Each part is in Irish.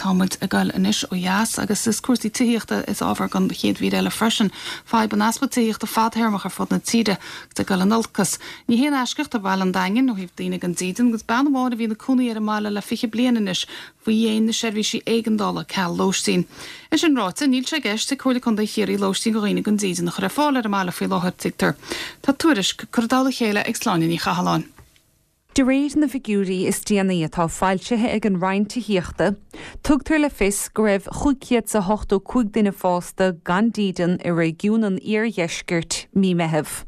Tá muid ag goil anois ó dheas agus is cúrsaí tithíochta is ábhar don chéad mhír eile freisin. Fadhb an easpa tithíochta fadthéarmach ar fud na tíre agus ag goil in olcas. Ní haon eisceacht é baile an Daingin ó thaobh daoine gan dídean agus bean amháin a bhí ina cónaí ar an mbaile le 20 bliain anois faoi dhéin na seirbhísí éigeandála ceal lóistín. É sin ráite, níl sé i gceist ag Comhairle Contae Chiarraí lóistín do dhaoine gan dídean a chur ar fáil ar an mbaile faoi láthair, tuigtear. Tá tuairisc curtha i dtoll a chéile ag Sláine Ní Chathalláin. De réir na bhfigiúirí is déanaí atá foilsithe ag an Roinn Tithíochta, tugtar le fios go raibh 585 duine fásta gan dídean i réigiún an iardheiscirt mí Meitheamh.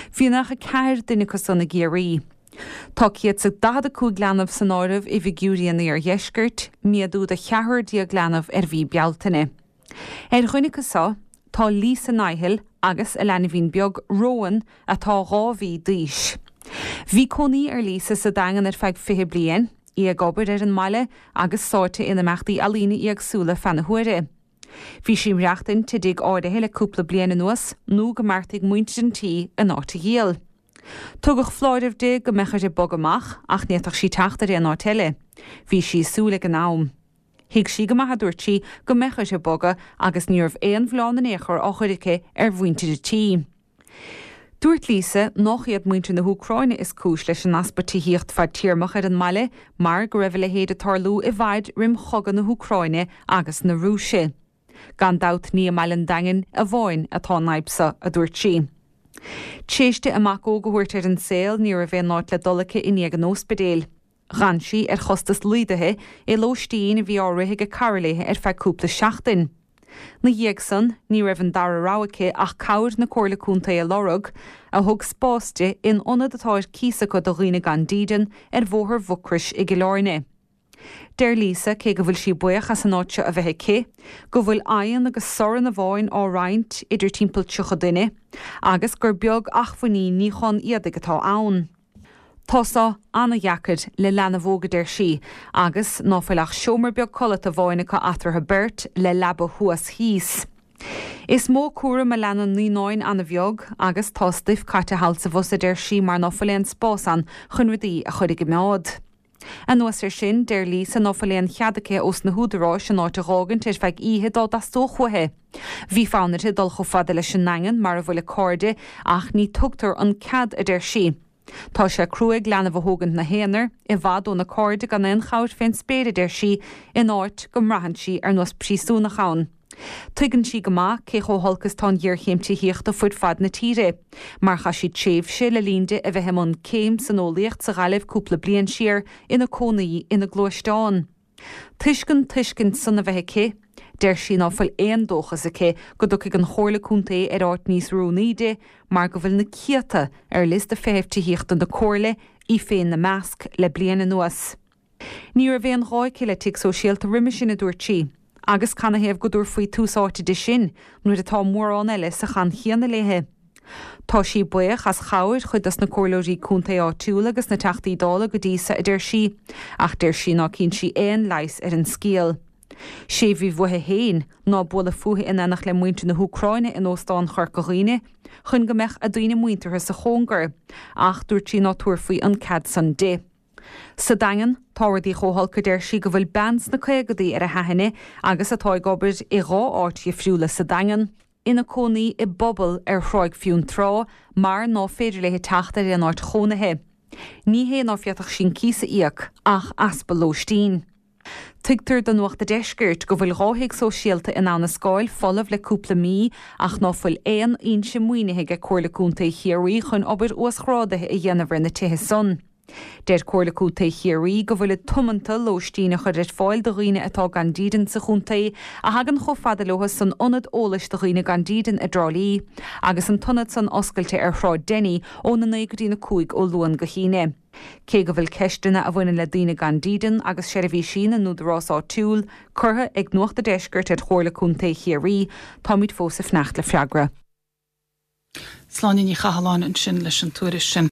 Bhí 94 duine acu san i gCiarraí. Tá 145 leanbh san áireamh i bhfigiúirí an iardheiscirt, méadú de cheathrar déag leanbh ar mhí Bealtaine. Ar dhuine acu seo tá Lisa Nihill agus a leanbhín beag Rowan atá 2 mhí d'aois. Bhí cónaí ar Lisa sa Daingean ar feadh 20 bliain, í ag obair ar an mbaile agus sáite in imeachtaí ealaíne éagsúla feadh na huaire. Bhí sí ag maireachtaint i dtigh áirithe le cúpla bliain anuas nó go mbeartaigh muintir an tí an áit a dhíol. Tugadh foláireamh di go mbeadh uirthi bogadh amach ach ní fhéadfadh sí teacht ar aon áit eile. Bhí sí ag súil ag an am. Thuig sí go maith, a dúirt sí, go mbeadh uirthi bogadh agus ní raibh aon mhilleán in aon chor á chur aici ar mhuintir an tí. Dúirt Lisa nách iad muintir na hÚcráine is cúis leis an easpa tithíocht fadtéarmach ar an mbaile mar go raibh a leithéid ag tarlú i bhfad roim chogadh na hÚcráine agus na Rúise. Gan dabht ní i mbaile an Daingin amháin atá an fhadhb seo, a dúirt sí. Tréis di a mac óg a thabhairt ar an saol ní raibh aon áit le dul aici i ndiaidh an óspidéil. Dh'fhan sí ar chostas laghdaithe i lóistín a bhí á rith ag cara léi ar feadh cúpla seachtain. 'Na dhiaidh san, ní raibh an dara rogha aici ach cabhair na Comhairle Contae a lorg, a thug spás di in ionad atá ar cíos acu do dhaoine gan dídean ar Bhóthar Mhucrois i gCill Airne. Deir Lisa, cé go bhfuil sí buíoch as an áit seo a bheith aici, go bhfuil oigheann agus sorn amháin á roinnt idir timpeall 30 duine, agus gur beag acmhainní níochán éadaigh atá ann. Tá seo ana-dheacair le leanbh óg, a deir sí, agus ná fuil ach seomra beag codlata amháin acu eatarthu beirt le leaba thuas thíos. Is mó cúram a leanann naíonáin ana-bheag agus tá stuif caite thall 's abhus, a deir sí, mar ná fuil aon spás ann chun rudaí a chur i gcoimeád. Anuas air sin, deir Lisa ná fuil aon chead aici ós na húdaráis an áit a dh'fhágaint ar feadh oíche dá dteastódh uaithi. Bhí fonn uirthi dul chomh fada leis an nDaingean mar a bhfuil a cairde ach ní tugtar an cead, a deir sí. Tá sé cruaidh leanbh a thógaint 'na haonar, i bhfad óna cairde gan aon chabhair fén spéir, a deir sí, in áit go mbraitheann sí ar nós príosúnach ann. Tuigeann sí go maith cé chomh holc is tá an ghéarchéim tithíochta fuid fad na tíre, mar chaith sí tréimhse le linn di a bheith i mbun céim san eolaíocht sa Ghaillimh cúpla bliain siar, ina cónaí ina gluaisteán. Toisc an tuiscint san a bheith aici, deir sí ná fuil aon dóchas aici go dtiocfaidh an Chomhairle Contae ar áit níos oiriúnaí di mar go bhfuil na céadta ar liosta feithimh tithíochta na Comhairle, í féin 'na measc, le bliain anuas. Ní raibh aon ghá aici le tigh sóisialta roimhe sin, a dúirt sí, agus canathaobh go dtabharfaí tús áite di sin nuair atá mórán eile sa chaint chéanna léi? Tá sí buíoch as chabhair chuid dos na comhairleoirí contae áitiúla agus na Teachtaí Dála go dtí so, a deir sí, ach deir sí ná cíonn sí aon leigheas ar an scéal. Sé bhí uaithi féin ná bualadh fúithi in éineacht le muintir na hÚcráine in Óstán Chorca Dhuibhne chun go mbeadh a daoine muinteartha sa chóngar, ach dúirt sí ná tabharfaí an cead san di. Sa Daingean, tá rudaí chomh holc a deir sí go bhfuil bean sna caogadaí ar a haithne agus atá ag obair i dhá áit dhifriúla sa Daingean, ina cónaí i bpuball ar Thráigh Fionntrá mar ná féidir léi teacht ar aon áit chónaithe. Ní hé ná féadfadh sí an cíos a íoc ach easpa lóistín. Tuigtear do Nuacht a' Deiscirt go bhfuil 2 thigh sóisialta in Abha na Scáil folamh le cúpla mí ach ná fuil aon fhoinse maoinithe ag Comhairle Contae Chiarraí chun obair uasghrádaithe a dhéanamh ar na tithe san. Deir Comhairle Contae Chiarraí go bhfuilid tiomanta lóistín a chur ar fáil do dhaoine atá gan dídean sa chontae a thagann chomh fada leo san Ionad Eolais do Dhaoine Gan Dídean i dTrá Lí agus an t-ionad san oscailte ar Shráid Denny óna 9 go dtí na 5 ó Luan go hAoine. Cé go bhfuil ceisteanna a bhaineann le daoine gan dídean agus seirbhísí na n-údarás áitiúil curtha ag Nuacht a' Deiscirt ar Chomhairle Contae Chiarraí, táimid fós ag fanacht le freagra. Sláine Ní Chathalláin ansin leis an tuairisc sin.